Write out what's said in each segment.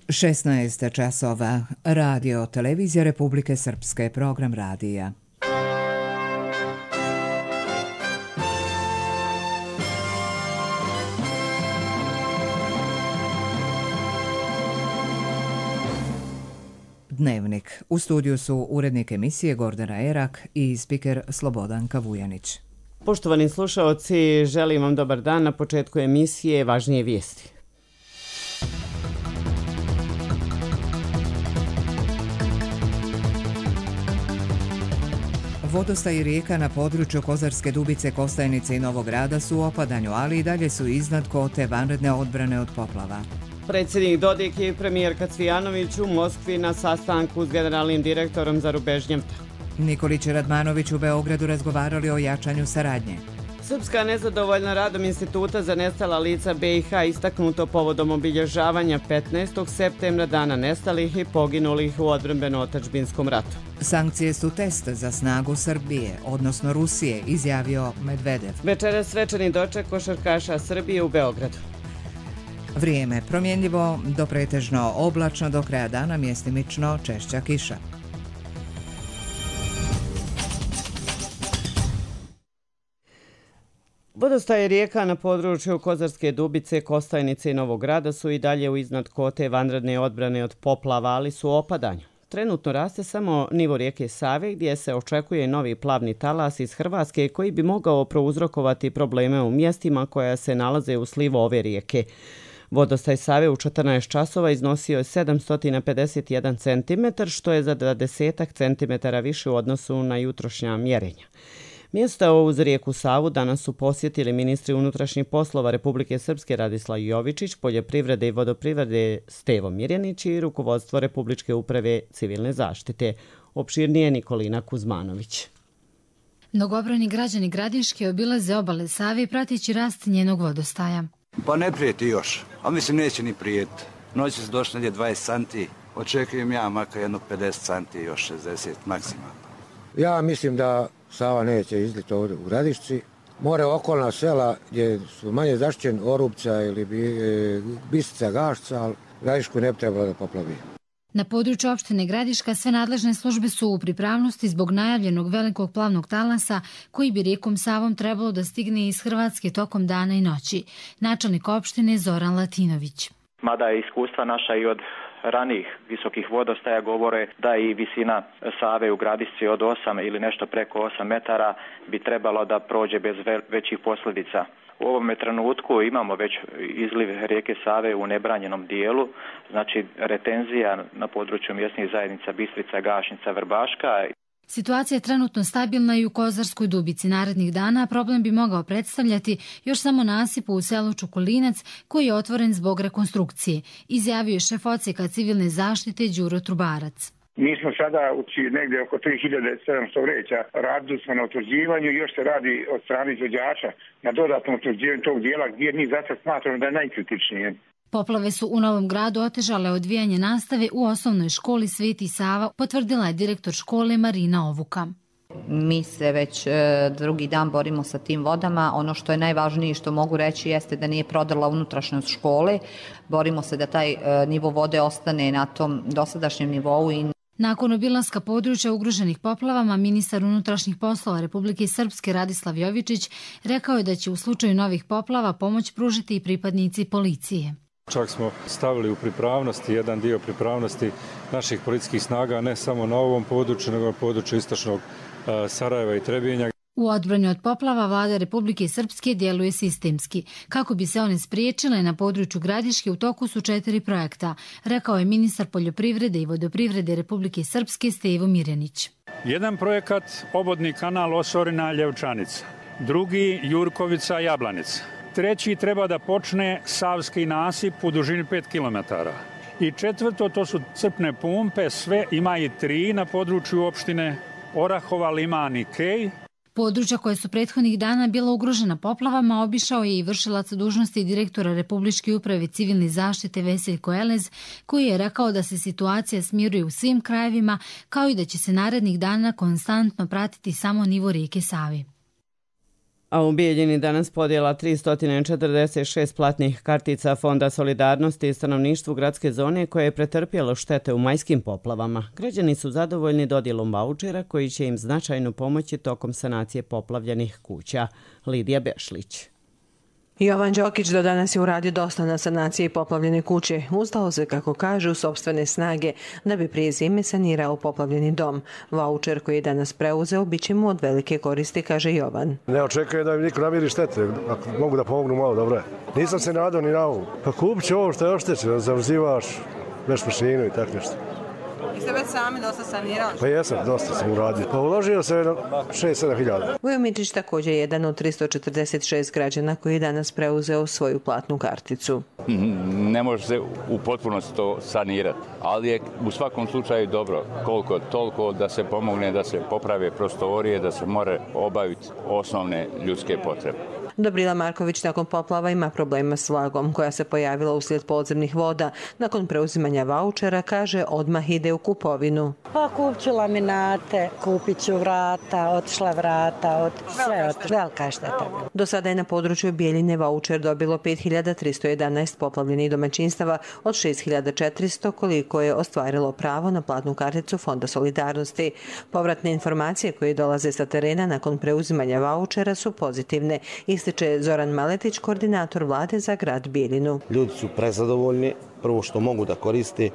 16 časova. Radio Televizija Republike Srpske, program radija. Dnevnik. U studiju su urednik emisije Gordana Erak i spiker Slobodanka Vujanić. Poštovani slušaoci, želim vam dobar dan. Na početku emisije važnije vijesti. Vodostaj rijeka na području Kozarske Dubice, Kostajnice i Novog Grada su u opadanju, ali i dalje su iznad kote vanredne odbrane od poplava. Predsjednik Dodik i premijerka Cvijanović u Moskvi na sastanku s generalnim direktorom Zarubežnjevta. Nikolić i Radmanović u Beogradu razgovarali o jačanju saradnje. Srpska nezadovoljna radom Instituta za nestala lica BiH istaknuto povodom obilježavanja 15. septembra dana nestalih i poginulih u odbrambeno-otadžbinskom ratu. Sankcije su test za snagu Srbije, odnosno Rusije, izjavio Medvedev. Večeras svečani doček košarkaša Srbije u Beogradu. Vrijeme promjenljivo do pretežno oblačno, do kraja dana mjestimično češća kiša. Vodostaje rijeka na području Kozarske Dubice, Kostajnice i Novog Grada su i dalje u iznad kote vanredne odbrane od poplava, ali su u opadanju. Trenutno raste samo nivo rijeke Save, gdje se očekuje novi plavni talas iz Hrvatske koji bi mogao prouzrokovati probleme u mjestima koja se nalaze u slivu ove rijeke. Vodostaj Save u 14 časova iznosio je 751 cm, što je za 20 cm više u odnosu na jutrošnja mjerenja. Mjesta uz rijeku Savu danas su posjetili ministri unutrašnjih poslova Republike Srpske Radislav Jovičić, poljoprivrede i vodoprivrede Stevo Mirjanić i rukovodstvo Republičke uprave civilne zaštite. Opširnije Nikolina Kuzmanović. Mnogobrojni građani Gradiške obilaze obale Save prateći rast njenog vodostaja. Pa ne prijeti još, a mislim neće ni prijeti. Noći su došli negdje 20 santi, očekujem ja makar jedno 50 santi, još 60 maksimalno. Ja mislim da Sava neće izliti ovdje u Gradišci. More okolna sela gdje su manje zaštićeni, Orupca ili Bisica, Gašca, ali Gradišku ne bi trebalo da poplavi. Na području opštine Gradiška sve nadležne službe su u pripravnosti zbog najavljenog velikog plavnog talasa koji bi rijekom Savom trebalo da stigne iz Hrvatske tokom dana i noći. Načelnik opštine Zoran Latinović. Mada je iskustva naša i od ranijih visokih vodostaja govore da i visina Save u Gradišci od 8 ili nešto preko 8 metara bi trebalo da prođe bez većih posljedica. U ovome trenutku imamo već izliv rijeke Save u nebranjenom dijelu, znači retenzija na području mjesnih zajednica Bistrica, Gašnica, Vrbaška. Situacija je trenutno stabilna i u Kozarskoj Dubici. Narednih dana problem bi mogao predstavljati još samo nasipu u selu Čukulinac koji je otvoren zbog rekonstrukcije, izjavio je šef odsjeka civilne zaštite Đuro Trubarac. Mi smo sada negdje oko 3700 vreća, radili smo na utvrđivanju i još se radi od strane izvođača na dodatnom utvrđivanju tog dijela gdje mi za sad smatramo da je najkritičnije. Poplave su u Novom Gradu otežale odvijanje nastave u osnovnoj školi Sveti Sava, potvrdila je direktor škole Marina Ovuka. Mi se već drugi dan borimo sa tim vodama. Ono što je najvažnije što mogu reći jeste da nije prodrla unutrašnjost škole. Borimo se da taj nivo vode ostane na tom dosadašnjem nivou. Nakon obilaska područja ugroženih poplavama, ministar unutrašnjih poslova Republike Srpske Radislav Jovičić rekao je da će u slučaju novih poplava pomoć pružiti i pripadnici policije. Čak smo stavili u pripravnosti, jedan dio pripravnosti naših policijskih snaga, ne samo na ovom području, nego na području istočnog Sarajeva i Trebinja. U odbrani od poplava vlada Republike Srpske djeluje sistemski. Kako bi se one spriječile na području Gradiške u toku su 4 projekta, rekao je ministar poljoprivrede i vodoprivrede Republike Srpske Stevo Mirjanić. Jedan projekat obodni kanal Osorina-Ljevčanica, drugi Jurkovica Jablanica. Treći treba da počne Savski nasip u dužini 5 km. I četvrto, to su crpne pumpe, sve ima i 3 na području opštine Orahova, Liman i Kej. Područja koje su prethodnih dana bila ugrožena poplavama obišao je i vršilac dužnosti direktora Republičke uprave civilne zaštite Veseljko Elez, koji je rekao da se situacija smiruje u svim krajevima, kao i da će se narednih dana konstantno pratiti samo nivo rijeke Save. A u Bijeljini danas podjela 346 platnih kartica Fonda solidarnosti i stanovništvu gradske zone koje je pretrpjelo štete u majskim poplavama. Građani su zadovoljni dodjelom vaučera koji će im značajno pomoći tokom sanacije poplavljenih kuća. Lidija Bešlić. Jovan Đokić do danas je uradio dosta na sanaciji poplavljene kuće. Uzdao se, kako kaže, u sopstvene snage da bi prije zime sanirao poplavljeni dom. Vaučer koji je danas preuzeo bit će mu od velike koristi, kaže Jovan. Ne očekujem da mi niko namiri štete, ako mogu da pomognu malo, dobro je. Nisam se nadao ni na ovo. Pa kupit ću ovo što je oštećeno, zamrzivaš, veš mašinu i tako nešto. I ste već sami dosta sanirali? Pa jesam, dosta sam uradio. Pa uložio se 6-7 hiljada. Vujo Mičić također je jedan od 346 građana koji je danas preuzeo svoju platnu karticu. Ne može se u potpunosti to sanirati, ali je u svakom slučaju dobro, koliko toliko da se pomogne, da se poprave prostorije, da se more obaviti osnovne ljudske potrebe. Dobrila Marković nakon poplava ima problema s vlagom koja se pojavila uslijed podzemnih voda. Nakon preuzimanja vaučera, kaže, odmah ide u kupovinu. Pa kupit ću laminate, kupit ću vrata, otišla vrata, sve velika šteta. Do sada je na području Bijeljine vaučer dobilo 5311 poplavljenih domaćinstava od 6400 koliko je ostvarilo pravo na platnu karticu Fonda solidarnosti. Povratne informacije koje dolaze sa terena nakon preuzimanja vaučera su pozitivne, ističe Zoran Maletić, koordinator vlade za grad Bijeljinu. Ljudi su prezadovoljni, prvo što mogu da koriste,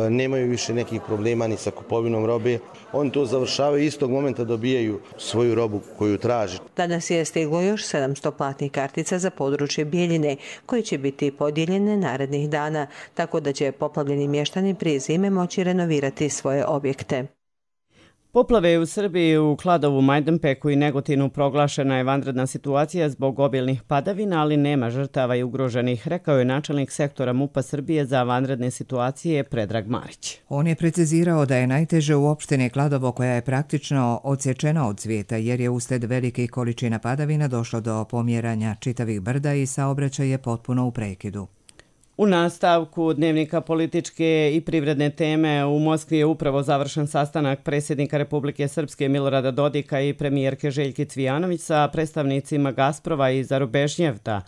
nemaju više nekih problema ni sa kupovinom robe. Oni to završavaju i istog momenta dobijaju svoju robu koju traže. Danas je stiglo još 700 platnih kartica za područje Bijeljine, koje će biti podijeljene narednih dana, tako da će poplavljeni mještani prije zime moći renovirati svoje objekte. Poplave u Srbiji, u Kladovu, Majdanpeku i Negotinu proglašena je vanredna situacija zbog obilnih padavina, ali nema žrtava i ugroženih, rekao je načelnik sektora MUP-a Srbije za vanredne situacije Predrag Marić. On je precizirao da je najteže u opštini Kladovo, koja je praktično odsječena od svijeta jer je uslijed velikih količina padavina došlo do pomjeranja čitavih brda i saobraćaj je potpuno u prekidu. U nastavku dnevnika političke i privredne teme u Moskvi je upravo završen sastanak predsjednika Republike Srpske Milorada Dodika i premijerke Željke Cvijanović sa predstavnicima Gazprova i Zarubežnjevta.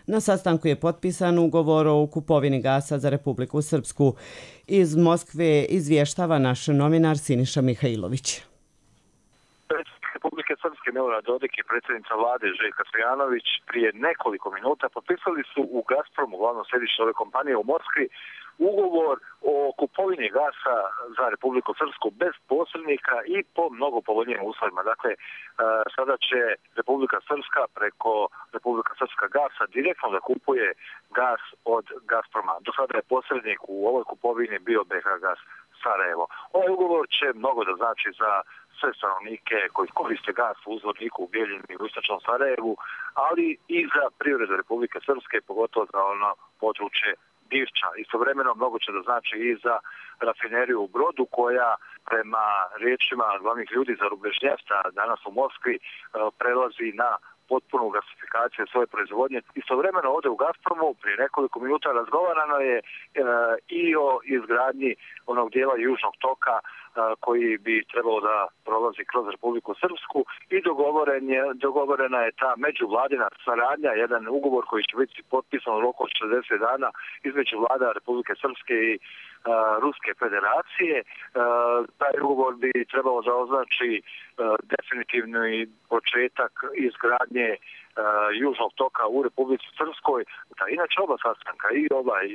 Na sastanku je potpisan ugovor o kupovini gasa za Republiku Srpsku. Iz Moskve izvještava naš novinar Siniša Mihajlović. Republike Srpske Milorad Dodik i predsjednica vlade Željka Cvijanović prije nekoliko minuta potpisali su u Gazpromu, glavnom središtu ove kompanije u Moskvi, ugovor o kupovini gasa za Republiku Srpsku bez posrednika i po mnogo povoljnijim uslovima. Dakle, sada će Republika Srpska preko Republika Srpska gasa direktno da kupuje gas od Gazproma. Do sada je posrednik u ovoj kupovini bio BH Gas Sarajevo. Ovaj ugovor će mnogo da znači za sve stanovnike koji koriste gas u uzvodniku u Bijeljini i u istočnom Sarajevu, ali i za privredu Republike Srpske, pogotovo za ono područje Divča. Istovremeno mnogo će da znači i za rafineriju u Brodu, koja prema riječima glavnih ljudi za Zarubežnjevta danas u Moskvi prelazi na potpunu gasifikaciju svoje proizvodnje. Istovremeno ovdje u Gazpromu prije nekoliko minuta razgovarano je i o izgradnji onog dijela južnog toka koji bi trebalo da prolazi kroz Republiku Srpsku i dogovorena je ta međuvladina saradnja, jedan ugovor koji će biti potpisan u roku od 60 dana između vlada Republike Srpske i Ruske federacije. Taj ugovor bi trebalo da označi definitivni početak izgradnje južnog toka u Republici Srpskoj. Da, inače oba sastanka,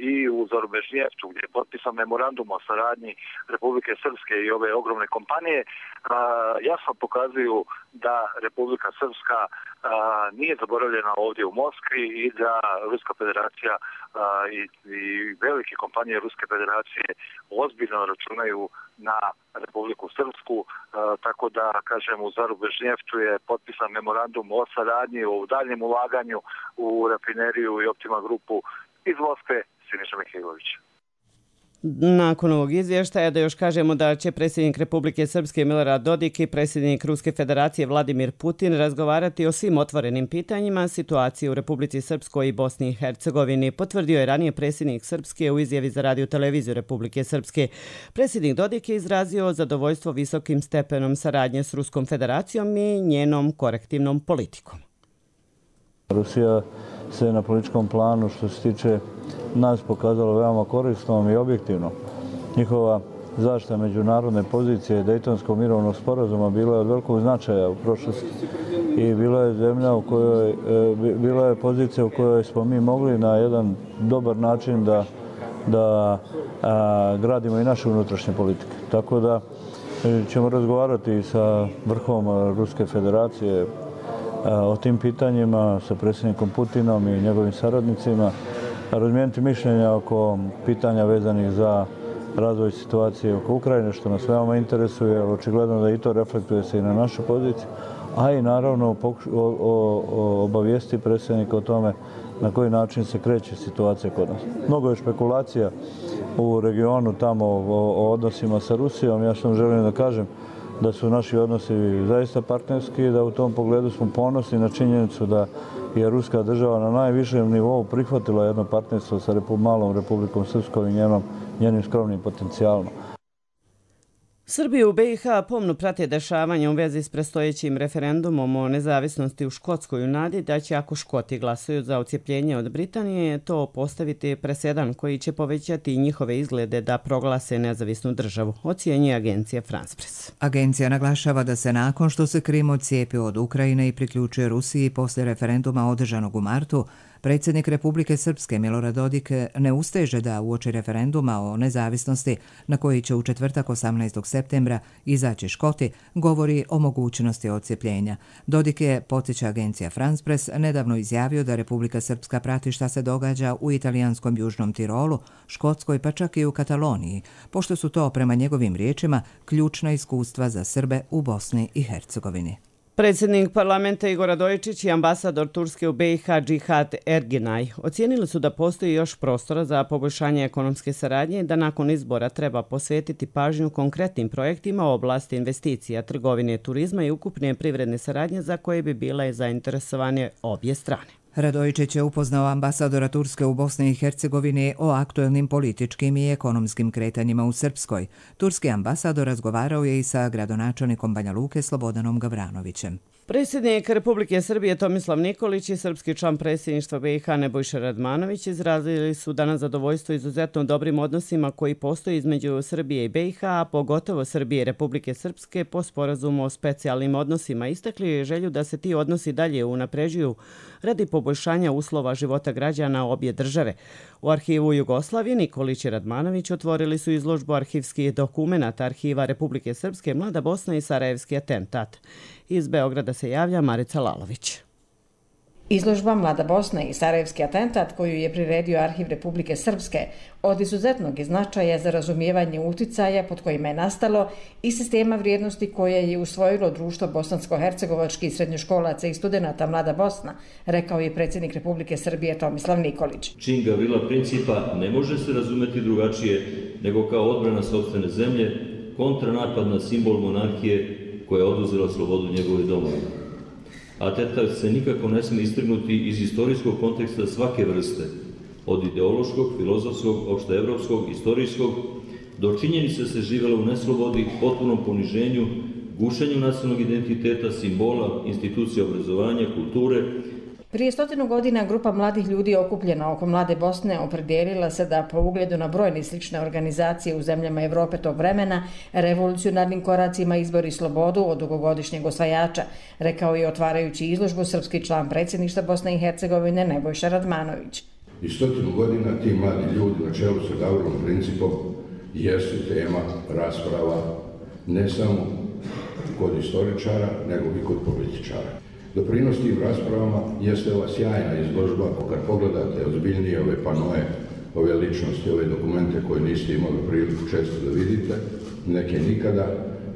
i u Zarubežnjevtu, gdje je potpisan memorandum o saradnji Republike Srpske i ove ogromne kompanije, jasno pokazuju da Republika Srpska nije zaboravljena ovdje u Moskvi i da Ruska federacija i velike kompanije Ruske federacije ozbiljno računaju na Republiku Srpsku, tako da, kažem, u Zarubežnjevtu je potpisan memorandum o saradnji, o daljem ulaganju u rafineriju i Optima grupu. Iz Moskve, Siniša Mihajlović. Nakon ovog izvještaja da još kažemo da će predsjednik Republike Srpske Milorad Dodik i predsjednik Ruske federacije Vladimir Putin razgovarati o svim otvorenim pitanjima situacije u Republici Srpskoj i Bosni i Hercegovini, potvrdio je ranije predsjednik Srpske u izjavi za radio televiziju Republike Srpske. Predsjednik Dodik je izrazio zadovoljstvo visokim stepenom saradnje s Ruskom federacijom i njenom korektivnom politikom. Rusija se na političkom planu što se tiče nas pokazalo veoma korisnom i objektivno. Njihova zaštita međunarodne pozicije Dejtonskog mirovnog sporazuma bila je od velikog značaja u prošlosti i bila je zemlja u kojoj, bila je pozicija u kojoj smo mi mogli na jedan dobar način da gradimo i naše unutrašnje politike. Tako da ćemo razgovarati sa vrhom Ruske federacije o tim pitanjima, sa predsjednikom Putinom i njegovim saradnicima, razmijeniti mišljenja oko pitanja vezanih za razvoj situacije oko Ukrajine, što nas veoma interesuje, očigledno da i to reflektuje se i na našu poziciju, a i naravno obavijesti predsjednika o tome na koji način se kreće situacija kod nas. Mnogo je špekulacija u regionu tamo o odnosima sa Rusijom. Ja sam želim da kažem da su naši odnosi zaista partnerski i da u tom pogledu smo ponosni na činjenicu da je ruska država na najvišem nivou prihvatila jedno partnerstvo sa malom Republikom Srpskom i njenim skromnim potencijalom. Srbiju u BiH pomno prate dešavanja u vezi s predstojećim referendumom o nezavisnosti u Škotskoj u nadi da će, ako Škoti glasuju za odcijepljenje od Britanije, to postaviti presedan koji će povećati njihove izglede da proglase nezavisnu državu, ocjenjuje agencija France Press. Agencija naglašava da se nakon što se Krim odcijepio od Ukrajine i priključuje Rusiji posle referenduma održanog u martu, predsjednik Republike Srpske Milorad Dodik ne usteže da uoči referenduma o nezavisnosti na koji će u četvrtak 18. septembra izaći Škoti, govori o mogućnosti odcijepljenja. Dodik je, podsjeća agencija France Press, nedavno izjavio da Republika Srpska prati šta se događa u italijanskom Južnom Tirolu, Škotskoj pa čak i u Kataloniji, pošto su to, prema njegovim riječima, ključna iskustva za Srbe u Bosni i Hercegovini. Predsjednik parlamenta Igor Radojičić i ambasador Turske u BiH Džihad Erginaj ocijenili su da postoji još prostora za poboljšanje ekonomske saradnje i da nakon izbora treba posvetiti pažnju konkretnim projektima u oblasti investicija, trgovine, turizma i ukupne privredne saradnje za koje bi bile zainteresovane obje strane. Radojičić je upoznao ambasadora Turske u Bosni i Hercegovini o aktuelnim političkim i ekonomskim kretanjima u Srpskoj. Turski ambasador razgovarao je i sa gradonačelnikom Banja Luke Slobodanom Gavranovićem. Predsjednik Republike Srbije Tomislav Nikolić i srpski član predsjedništva BiH Nebojša Radmanović izrazili su danas zadovoljstvo izuzetno dobrim odnosima koji postoji između Srbije i BiH, a pogotovo Srbije i Republike Srpske po sporazumu o specijalnim odnosima. Istakli želju da se ti odnosi dalje unapređuju radi poboljšanja uslova života građana obje države. U arhivu Jugoslavije Nikolić i Radmanović otvorili su izložbu arhivskih dokumenata Arhiva Republike Srpske, Mlada Bosna i Sarajevski atentat. Iz Beograda se javlja Marica Lalović. Izložba Mlada Bosna i Sarajevski atentat, koju je priredio Arhiv Republike Srpske, od izuzetnog značaja za razumijevanje uticaja pod kojima je nastalo i sistema vrijednosti koje je usvojilo društvo bosansko-hercegovačkih srednjoškolaca i studenata Mlada Bosna, rekao je predsjednik Republike Srbije Tomislav Nikolić. Čin Gavrila principa ne može se razumeti drugačije nego kao odbrana sopstvene zemlje, kontranapad na simbol monarhije koja je oduzela slobodu njegove domovine. Atentat se nikako ne smije istrgnuti iz istorijskog konteksta svake vrste, od ideološkog, filozofskog, opšteevropskog, istorijskog, do činjenice se živjela u neslobodi, potpunom poniženju, gušenju nacionalnog identiteta, simbola, institucije obrazovanja, kulture. Prije 100 godina grupa mladih ljudi okupljena oko Mlade Bosne opredijelila se da po ugledu na brojne slične organizacije u zemljama Evrope tog vremena revolucionarnim koracima izbori slobodu od dugogodišnjeg osvajača, rekao je otvarajući izložbu srpski član predsjedništva Bosne i Hercegovine Nebojša Radmanović. I 100 godina ti mladi ljudi na čelu sa Gavrilom principom jesu tema rasprava ne samo kod istoričara, nego i kod političara. Doprinos tim raspravama jeste ova sjajna izložba, kad pogledate ozbiljnije ove panoje, ove ličnosti, ove dokumente koje niste imali priliku često da vidite, neke nikada,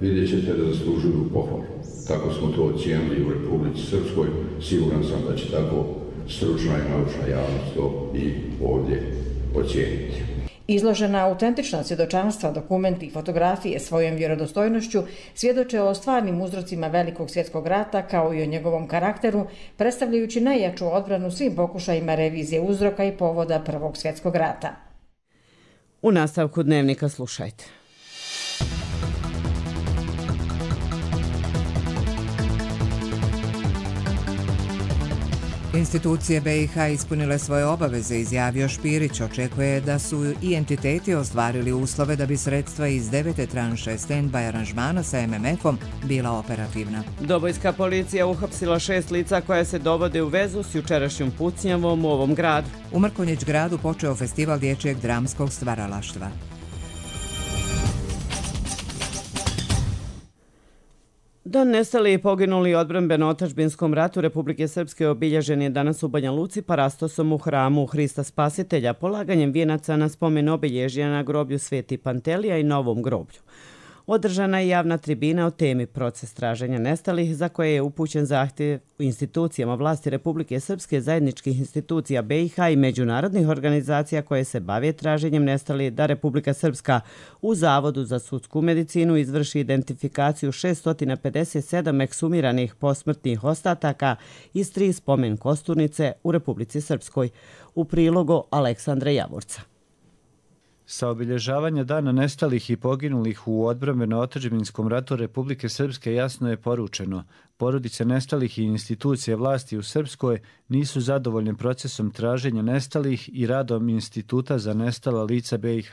vidjet ćete da zaslužuju pohvalu. Tako smo to ocijenili u Republici Srpskoj, siguran sam da će tako stručna i naučna javnost to i ovdje ocijeniti. Izložena autentična svjedočanstva, dokumenti i fotografije svojom vjerodostojnošću svjedoče o stvarnim uzrocima Velikog svjetskog rata kao i o njegovom karakteru, predstavljajući najjaču odbranu svim pokušajima revizije uzroka i povoda Prvog svjetskog rata. U nastavku dnevnika slušajte. Institucije BiH ispunile svoje obaveze, izjavio Špirić. Očekuje da su i entiteti ostvarili uslove da bi sredstva iz 9. tranše stand-by aranžmana sa MMF-om bila operativna. Dobojska policija uhapsila 6 lica koja se dovode u vezu s jučerašnjom pucnjavom u ovom gradu. U Mrkonjić gradu počeo festival dječjeg dramskog stvaralaštva. Dan nestali i poginuli u odbrambeno-otadžbinskom ratu Republike Srpske obilježen je danas u Banja Luci parastosom u hramu Hrista Spasitelja, polaganjem vijenaca na spomen obilježja na groblju Sveti Pantelija i Novom groblju. Održana je javna tribina o temi proces traženja nestalih, za koje je upućen zahtjev u institucijama vlasti Republike Srpske, zajedničkih institucija BiH i međunarodnih organizacija koje se bave traženjem nestalih, da Republika Srpska u Zavodu za sudsku medicinu izvrši identifikaciju 657 ekshumiranih posmrtnih ostataka iz 3 spomen kosturnice u Republici Srpskoj. U prilogu Aleksandra Javorca. Sa obilježavanja dana nestalih i poginulih u odbrambeno-otadžbinskom ratu Republike Srpske jasno je poručeno: porodice nestalih i institucije vlasti u Srpskoj nisu zadovoljne procesom traženja nestalih i radom Instituta za nestala lica BiH.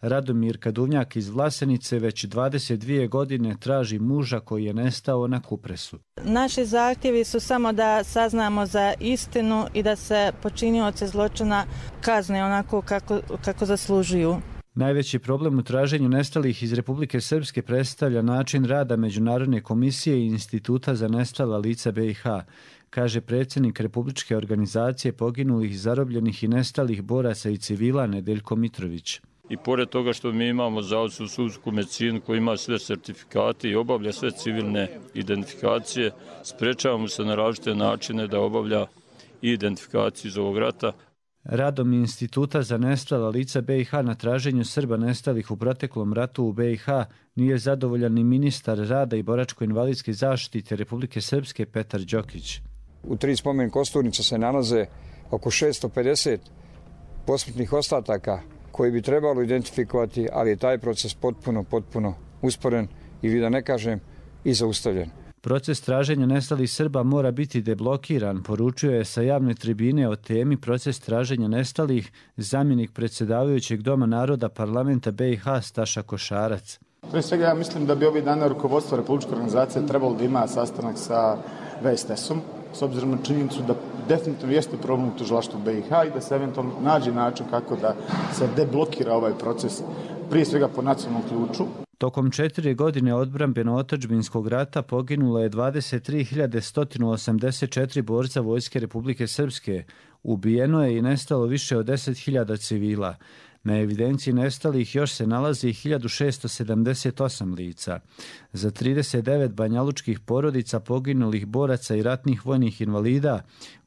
Radomir Kaduvnjak iz Vlasenice već 22 godine traži muža koji je nestao na Kupresu. Naši zahtjevi su samo da saznamo za istinu i da se počinioci zločina kazne onako kako zaslužuju. Najveći problem u traženju nestalih iz Republike Srpske predstavlja način rada Međunarodne komisije i Instituta za nestala lica BiH, kaže predsjednik Republičke organizacije poginulih, zarobljenih i nestalih boraca i civila Nedeljko Mitrović. I pored toga što mi imamo Zavod za sudsku medicinu koji ima sve sertifikate i obavlja sve civilne identifikacije, sprečavamo se na različite načine da obavlja i identifikaciju iz ovog rata. Radom Instituta za nestala lica BiH na traženju Srba nestalih u proteklom ratu u BiH nije zadovoljan ni ministar rada i boračko-invalidske zaštite Republike Srpske Petar Đokić. U 3 spomen kosturnice se nalaze oko 650 posmrtnih ostataka koji bi trebalo identifikovati, ali je taj proces potpuno usporen ili da ne kažem i zaustavljen. Proces traženja nestalih Srba mora biti deblokiran, poručuje sa javne tribine o temi proces traženja nestalih zamjenik predsjedavajućeg Doma naroda parlamenta BiH Staša Košarac. Prije svega ja mislim da bi ovih dana rukovodstvo Republičke organizacije trebalo da ima sastanak sa VSTS-om, s obzirom na činjenicu da definitivno jeste problem u tužilaštvu BiH i da se eventualno nađe način kako da se deblokira ovaj proces, prije svega po nacionalnom ključu. Tokom 4 godine odbrambeno-otadžbinskog rata poginulo je 23.184 borca Vojske Republike Srpske. Ubijeno je i nestalo više od 10.000 civila. Na evidenciji nestalih još se nalazi 1678 lica. Za 39 banjalučkih porodica poginulih boraca i ratnih vojnih invalida,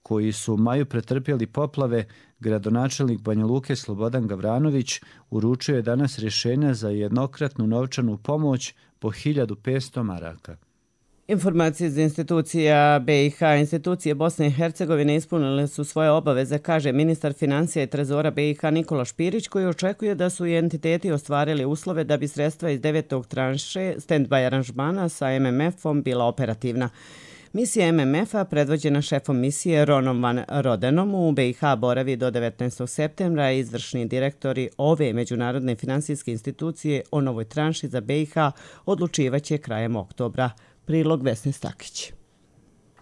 koji su u maju pretrpjeli poplave, gradonačelnik Banja Luke Slobodan Gavranović uručio je danas rješenja za jednokratnu novčanu pomoć po 1500 maraka. Informacije iz institucija BiH, institucije Bosne i Hercegovine ispunile su svoje obaveze, kaže ministar financija i trezora BiH Nikola Špirić, koji očekuje da su i entiteti ostvarili uslove da bi sredstva iz 9. tranše stand-by aranžmana sa MMF-om bila operativna. Misija MMF-a, predvođena šefom misije Ronom van Rodenom, u BiH boravi do 19. septembra. Izvršni direktori ove međunarodne finansijske institucije o novoj tranši za BiH odlučivaće krajem oktobra. Prilog Vesne Stakić.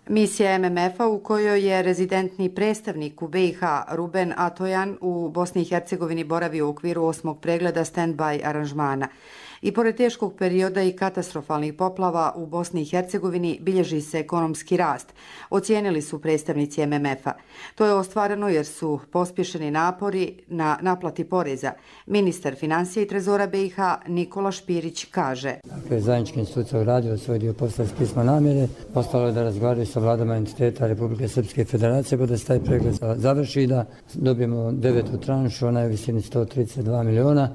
Misija MMF-a u kojoj je rezidentni predstavnik u BiH Ruben Atojan u Bosni i Hercegovini boravi u okviru 8. pregleda stand-by aranžmana. I pored teškog perioda i katastrofalnih poplava u Bosni i Hercegovini bilježi se ekonomski rast, ocijenili su predstavnici MMF-a. To je ostvareno jer su pospješeni napori na naplati poreza. Ministar financija i trezora BiH Nikola Špirić kaže: Zajednička institucija uradio svoj dio posla s pisma namjere, ostalo je da razgovaraju sa vladama entiteta Republike Srpske federacije, pa da se taj pregled završi, da dobijemo 9. tranšu, ona je u visini 132 miliona.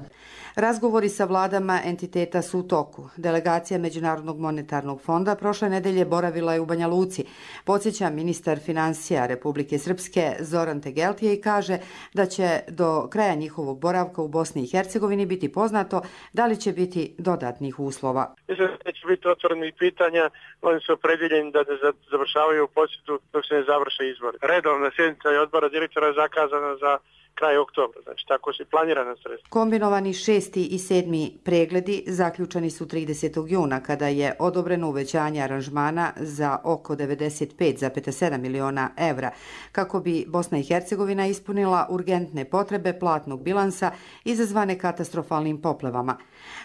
Razgovori sa vladama entiteta su u toku. Delegacija Međunarodnog monetarnog fonda prošle nedelje boravila je u Banja Luci. Podsjeća ministar financija Republike Srpske Zoran Tegeltije i kaže da će do kraja njihovog boravka u Bosni i Hercegovini biti poznato da li će biti dodatnih uslova. Mislim da će biti otvorenih pitanja, oni su opredjeljeni da ne završavaju posjetu dok se ne završe izbori. Redovna sjednica je odbora direktora zakazana za kraj oktobra, znači tako se planirana sredstva. Kombinovani 6. i 7. pregledi zaključani su 30. juna kada je odobreno uvećanje aranžmana za oko 95,7 miliona evra kako bi Bosna i Hercegovina ispunila urgentne potrebe platnog bilansa izazvane katastrofalnim poplavama.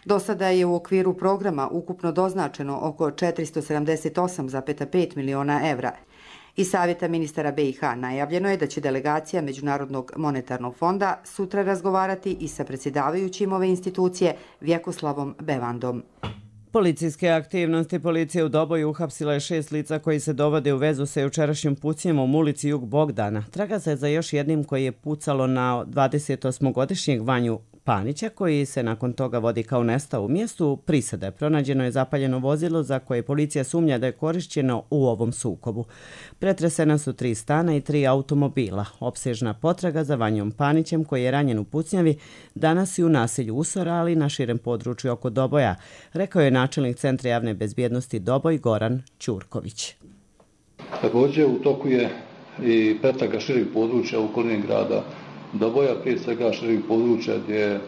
Do sada je u okviru programa ukupno doznačeno oko 478,5 miliona evra. Iz Savjeta ministara BiH najavljeno je da će delegacija Međunarodnog monetarnog fonda sutra razgovarati i sa predsjedavajućim ove institucije Vjekoslavom Bevandom. Policijske aktivnosti policije u Doboju uhapsila je 6 lica koji se dovode u vezu sa jučerašnjim pucnjem u ulici Jug Bogdana. Traga se za još jednim koji je pucalo na 28-godišnjeg Vanju Panića, koji se nakon toga vodi kao nestao u mjestu prisade. Pronađeno je zapaljeno vozilo za koje policija sumnja da je korišćeno u ovom sukobu. Pretresena su 3 stana i 3 automobila. Opsežna potraga za Vanjom Panićem, koji je ranjen u pucnjavi, danas i u naselju Usora, ali i na širem području oko Doboja, rekao je načelnik Centra javne bezbjednosti Doboj Goran Ćurković. Također u toku je i pretraga širih područja u okolini grada Doboja, prije svega širih područja gdje je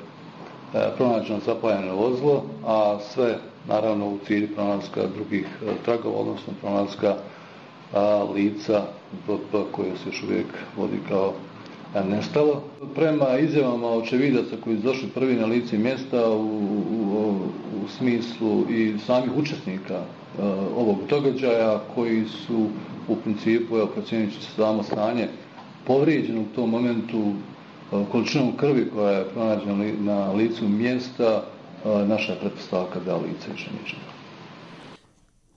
pronađeno zapaljeno vozilo, a sve naravno u cilju pronalaska drugih tragova, odnosno pronalaska lica koje se još uvijek vodi kao nestalo. Prema izjavama očevidaca koji su došli prvi na lice mjesta u smislu i samih učesnika ovog događaja koji su u principu, procjenjujući samo stanje, povrijeđeno u tom momentu količinom krvi koja je pronađena na licu mjesta, naša je pretpostavka da lice više ničega.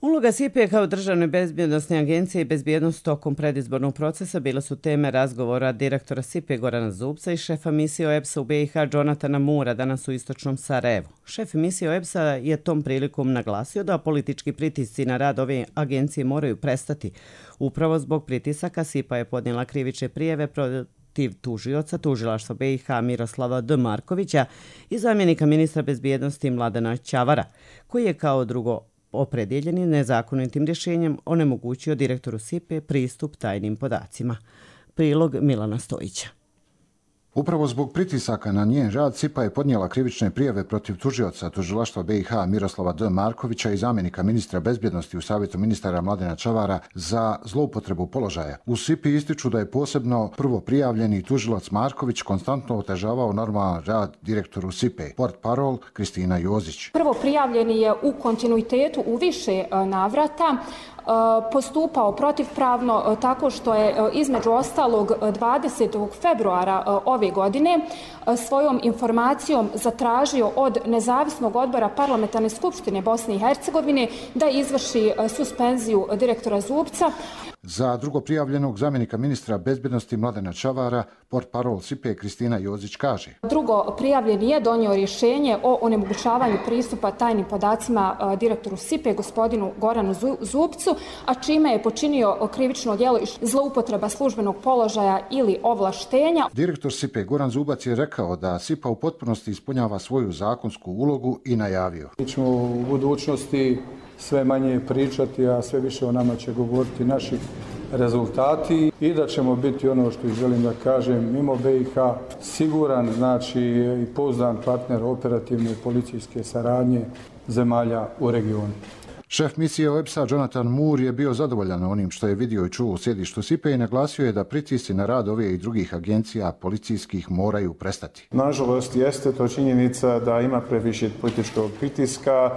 Uloga SIPA kao državne bezbjednostne agencije i bezbjednost tokom predizbornog procesa bila su teme razgovora direktora SIPA Gorana Zubca i šefa misije OEBS-a u BiH Jonatana Moora danas u istočnom Sarajevu. Šef misije OEBS-a je tom prilikom naglasio da politički pritisci na rad ove agencije moraju prestati. Upravo zbog pritisaka SIPA je podnijela krivične prijave protiv tužioca tužilaštva BiH Miroslava D. Markovića i zamjenika ministra bezbjednosti Mladena Ćavara, koji je kao drugo opredjeljeni nezakonitim rješenjem onemogućio direktoru SIPA pristup tajnim podacima. Prilog Milana Stojića. Upravo zbog pritisaka na njen rad, SIPA je podnijela krivične prijave protiv tužioca tužilaštva BiH Miroslava D. Markovića i zamjenika ministra bezbjednosti u Savjetu ministara Mladena Ćavara za zloupotrebu položaja. U SIPA ističu da je posebno prvo prijavljeni tužilac Marković konstantno otežavao normalan rad direktoru SIPA, portparol Kristina Jozić. Prvo prijavljeni je u kontinuitetu u više navrata postupao protivpravno tako što je između ostalog 20. februara ove godine svojom informacijom zatražio od Nezavisnog odbora Parlamentarne skupštine Bosne i Hercegovine da izvrši suspenziju direktora Zubca. Za drugo prijavljenog zamjenika ministra bezbjednosti Mladena Ćavara, portparol SIPA Kristina Jozić kaže. Drugo prijavljeni je donio rješenje o onemogućavanju pristupa tajnim podacima direktoru SIPA gospodinu Goranu Zubcu, a čime je počinio krivično djelo zloupotreba službenog položaja ili ovlaštenja. Direktor SIPA Goran Zubac je rekao da SIPA u potpunosti ispunjava svoju zakonsku ulogu i najavio. Mi ćemo u budućnosti sve manje pričati, a sve više o nama će govoriti naši rezultati i da ćemo biti ono što želim da kažem mimo BiH siguran, znači i pouzdan partner operativne policijske saradnje zemalja u regionu. Šef misije OEBS-a Jonathan Moore je bio zadovoljan onim što je vidio i čuo u sjedištu SIPA i naglasio je da pritisci na rad ove i drugih agencija policijskih moraju prestati. Nažalost, jeste to činjenica da ima previše političkog pritiska.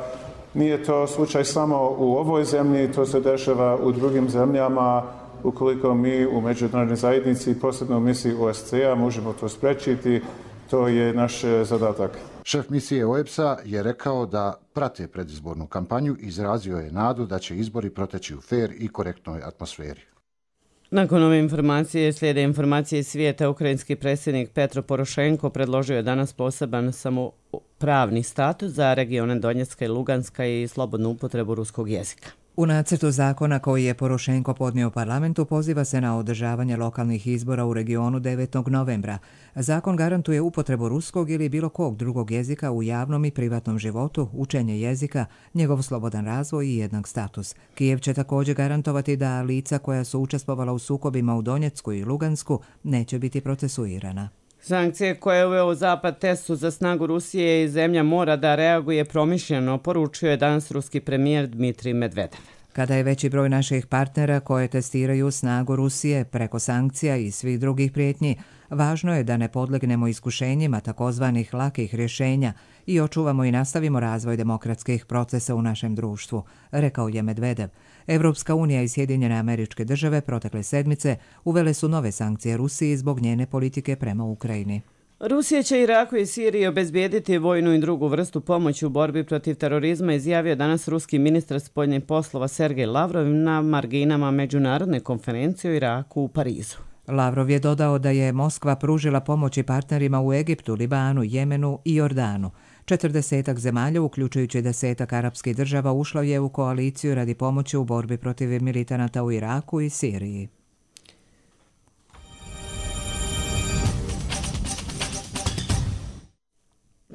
Nije to slučaj samo u ovoj zemlji, to se dešava u drugim zemljama. Ukoliko mi u međunarodnoj zajednici, posebno u misiji OSCE-a, možemo to sprečiti, to je naš zadatak. Šef misije OEBS-a je rekao da prate predizbornu kampanju i izrazio je nadu da će izbori proteći u fer i korektnoj atmosferi. Nakon ove informacije slijede informacije iz svijeta. Ukrajinski predsjednik Petro Porošenko predložio je danas poseban pravni status za regione Donjecka i Luganska i slobodnu upotrebu ruskog jezika. U nacrtu zakona koji je Porošenko podnio u parlamentu poziva se na održavanje lokalnih izbora u regionu 9. novembra. Zakon garantuje upotrebu ruskog ili bilo kog drugog jezika u javnom i privatnom životu, učenje jezika, njegov slobodan razvoj i jednak status. Kijev će također garantovati da lica koja su učestvovala u sukobima u Donjecku i Lugansku neće biti procesuirana. Sankcije koje je uveo Zapad testu za snagu Rusije i zemlja mora da reaguje promišljeno, poručio je danas ruski premijer Dmitrij Medvedev. Kada je veći broj naših partnera koje testiraju snagu Rusije preko sankcija i svih drugih prijetnji, važno je da ne podlegnemo iskušenjima takozvanih lakih rješenja i očuvamo i nastavimo razvoj demokratskih procesa u našem društvu, rekao je Medvedev. Evropska unija i Sjedinjene Američke Države protekle sedmice uvele su nove sankcije Rusiji zbog njene politike prema Ukrajini. Rusija će Iraku i Siriji obezbijediti vojnu i drugu vrstu pomoći u borbi protiv terorizma, izjavio danas ruski ministar spoljnih poslova Sergej Lavrov na marginama međunarodne konferencije o Iraku u Parizu. Lavrov je dodao da je Moskva pružila pomoći partnerima u Egiptu, Libanu, Jemenu i Jordanu. 40 zemalja, uključujući 10 arapskih država, ušlo je u koaliciju radi pomoći u borbi protiv militanata u Iraku i Siriji.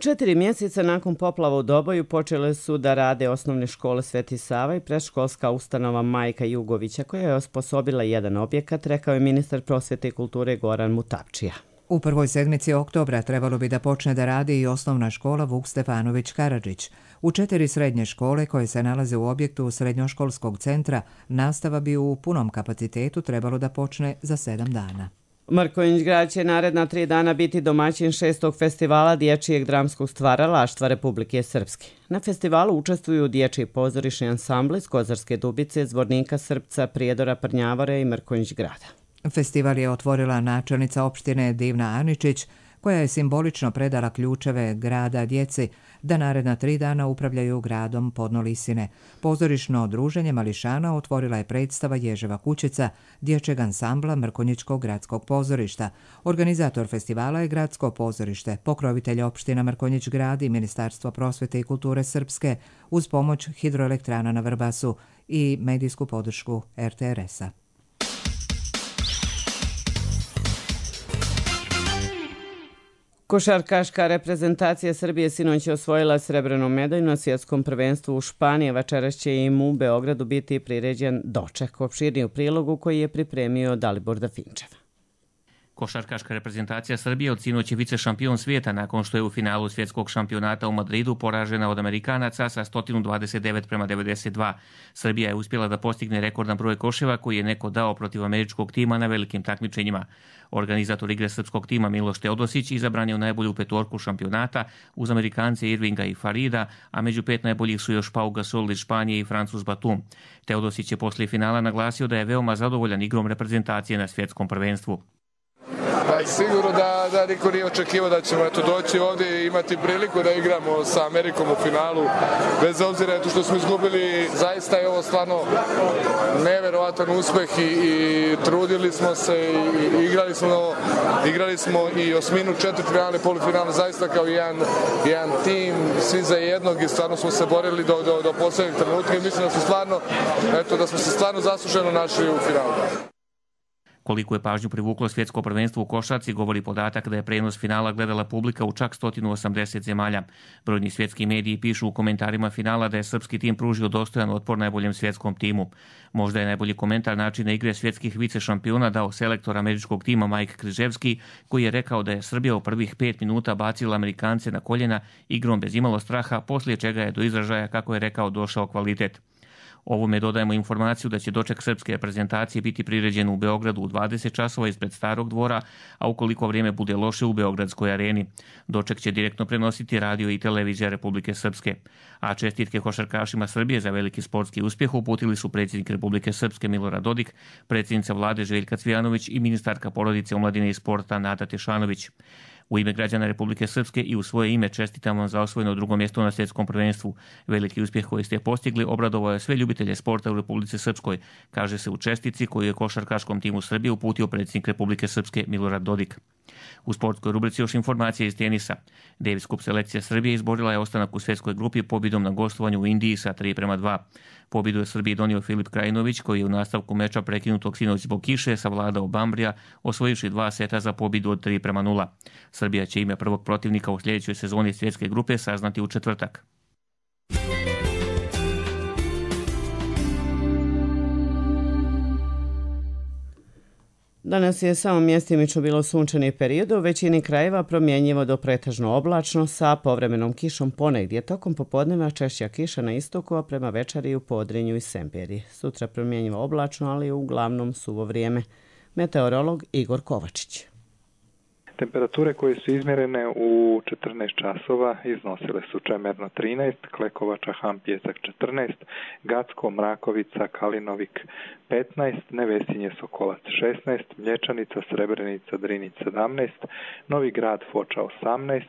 Četiri mjeseca nakon poplava u Doboju počele su da rade osnovne škole Sveti Sava i predškolska ustanova Majka Jugovića, koja je osposobila jedan objekat, rekao je ministar prosvjete i kulture Goran Mutapčija. U prvoj sedmici oktobra trebalo bi da počne da radi i osnovna škola Vuk Stefanović Karadžić. U 4 srednje škole koje se nalaze u objektu srednjoškolskog centra, nastava bi u punom kapacitetu trebalo da počne za 7 dana. Mrkonjić grad će naredna 3 dana biti domaćin 6. festivala dječjeg dramskog stvaralaštva Republike Srpske. Na festivalu učestvuju dječji pozorišni ansambli iz Kozarske Dubice, Zvornika, Srpca, Prijedora, Prnjavore i Mrkonjić grada. Festival je otvorila načelnica opštine Divna Aničić, koja je simbolično predala ključeve grada djeci da naredna 3 dana upravljaju gradom Podnolisine. Pozorišno druženje mališana otvorila je predstava Ježeva kućica dječjeg ansambla Mrkonjićkog gradskog pozorišta. Organizator festivala je gradsko pozorište, pokrovitelj opština Mrkonjić grad i Ministarstvo prosvjete i kulture Srpske uz pomoć hidroelektrana na Vrbasu i medijsku podršku RTRS-a. Košarkaška reprezentacija Srbije sinoć je osvojila srebrnu medalju na svjetskom prvenstvu u Španiji. Večeras će im u Beogradu biti priređen doček. Opširniji u prilogu koji je pripremio Dalibor Dafinčev. Košarkaška reprezentacija Srbije od sinoć je vice šampion svijeta nakon što je u finalu svjetskog šampionata u Madridu poražena od Amerikanaca sa 129-92. Srbija je uspjela da postigne rekordan broj koševa koji je neko dao protiv američkog tima na velikim takmičenjima. Organizator igre srpskog tima Miloš Teodosić izabran je u najbolju petorku šampionata uz Amerikance Irvinga i Farida, a među 5 najboljih su još Pau Gasol iz Španije i Francuz Batum. Teodosić je poslije finala naglasio da je veoma zadovoljan igrom reprezentacije na svjetskom prvenstvu. Sigurno da niko nije očekivao da ćemo doći ovdje i imati priliku da igramo sa Amerikom u finalu. Bez obzira što smo izgubili, zaista je ovo stvarno neverovatan uspjeh i trudili smo se i igrali smo i osminu, četvrtfinale, polufinale, zaista kao jedan tim, svi za jednog i stvarno smo se borili do posljednjeg trenutka i mislim da smo se stvarno zasluženo našli u finalu. Koliko je pažnju privuklo svjetsko prvenstvo u košarci govori podatak da je prenos finala gledala publika u čak 180 zemalja. Brojni svjetski mediji pišu u komentarima finala da je srpski tim pružio dostojan otpor najboljem svjetskom timu. Možda je najbolji komentar načina igre svjetskih vice šampiona dao selektor američkog tima Mike Križevski, koji je rekao da je Srbija u prvih 5 minuta bacila Amerikance na koljena igrom bez imalo straha, poslije čega je do izražaja, kako je rekao, došao kvalitet. Ovome dodajemo informaciju da će doček srpske reprezentacije biti priređen u Beogradu u 20 časova ispred Starog dvora, a ukoliko vrijeme bude loše u Beogradskoj areni. Doček će direktno prenositi radio i televizija Republike Srpske. A čestitke košarkašima Srbije za veliki sportski uspjeh uputili su predsjednik Republike Srpske Milorad Dodik, predsjednica vlade Željka Cvijanović i ministarka porodice, omladine i sporta Nada Tešanović. U ime građana Republike Srpske i u svoje ime čestitam vam za osvojeno 2. mjesto na svjetskom prvenstvu. Veliki uspjeh koji ste postigli obradovao je sve ljubitelje sporta u Republici Srpskoj, kaže se u čestitci koju je košarkaškom timu Srbije uputio predsjednik Republike Srpske Milorad Dodik. U sportskoj rubrici još informacije iz tenisa. Davis Cup selekcija Srbije izborila je ostanak u svjetskoj grupi pobjedom na gostovanju u Indiji sa 3:2. Pobjedu je Srbiji donio Filip Krajinović, koji je u nastavku meča prekinutog sinoć zbog kiše savladao Bambrija, osvojivši 2 seta za pobjedu od 3:0. Srbija će ime prvog protivnika u sljedećoj sezoni svjetske grupe saznati u četvrtak. Danas je samo mjestimično bilo sunčani period, u većini krajeva promjenjivo do pretežno oblačno sa povremenom kišom ponegdje. Tokom popodneva češća kiša na istoku, a prema večeri u Podrinju i Semperiji. Sutra promjenjivo oblačno, ali uglavnom suvo vrijeme. Meteorolog Igor Kovačić. Temperature koje su izmjerene u 14 časova iznosile su Čemerno 13, Klekovača, Hampjesak 14, Gacko, Mrakovica, Kalinovik 15, Nevesinje, Sokolac 16, Mlječanica, Srebrenica, Drinić 17, Novi Grad, Foča 18,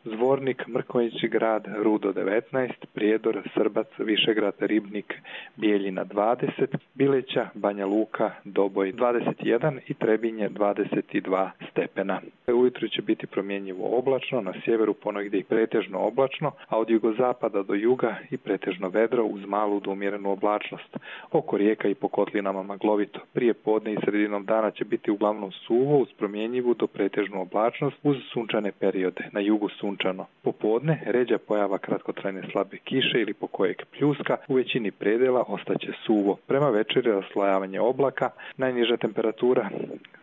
Zvornik, Mrkonjići Grad, Rudo 19, Prijedor, Srbac, Višegrad, Ribnik, Bijeljina 20, Bileća, Banja Luka, Doboj 21 i Trebinje 22 stepena. Ujutro će biti promjenjivo oblačno, na sjeveru ponegdje i pretežno oblačno, a od jugozapada do juga i pretežno vedro uz malu do umjerenu oblačnost. Oko rijeka i po kotlinama maglovito. Prije podne i sredinom dana će biti uglavnom suvo uz promjenjivu do pretežnu oblačnost uz sunčane periode. Na jugu sunčano. Popodne ređa pojava kratkotrajne slabe kiše ili po kojeg pljuska, u većini predela ostaće suvo. Prema večeri raslojavanje oblaka, najniža temperatura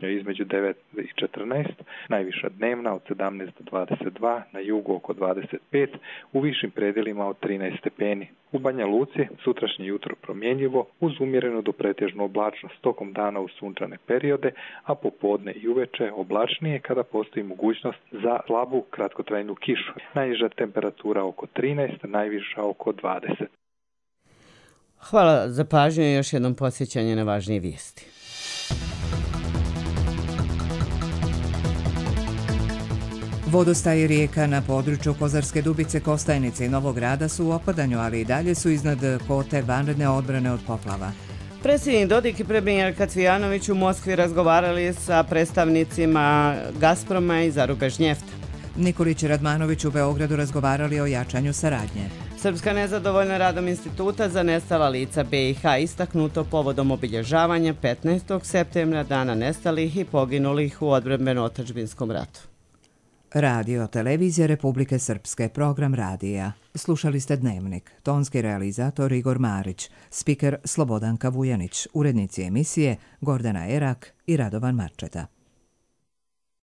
je između 9 i 14, najviša dnevna od 17 do 22, na jugu oko 25, u višim predelima od 13 stepeni. U Banja Luci sutrašnje jutro promjenjivo uz umjerenu do pretežnu oblačnost, tokom dana u sunčane periode, a popodne i uveče oblačnije kada postoji mogućnost za slabu kratkotrajnu kišu. Najniža temperatura oko 13, najviša oko 20. Hvala za pažnju i još jednom podsjećanje na važnije vijesti. Vodostaji rijeka na području Kozarske Dubice, Kostajnice i Novog Grada su u opadanju, ali i dalje su iznad kote vanredne odbrane od poplava. Predsjednik Dodik i premijerka Cvijanović u Moskvi razgovarali sa predstavnicima Gazproma i Zarubežnjefta. Nikolić i Radmanović u Beogradu razgovarali o jačanju saradnje. Srpska nezadovoljna radom Instituta za nestala lica BiH istaknuto povodom obilježavanja 15. septembra dana nestalih i poginulih u odbrambeno-otadžbinskom ratu. Radio Televizija Republike Srpske, program radija. Slušali ste Dnevnik, tonski realizator Igor Marić, spiker Slobodanka Vujanić, urednici emisije Gordana Erak i Radovan Marčeta.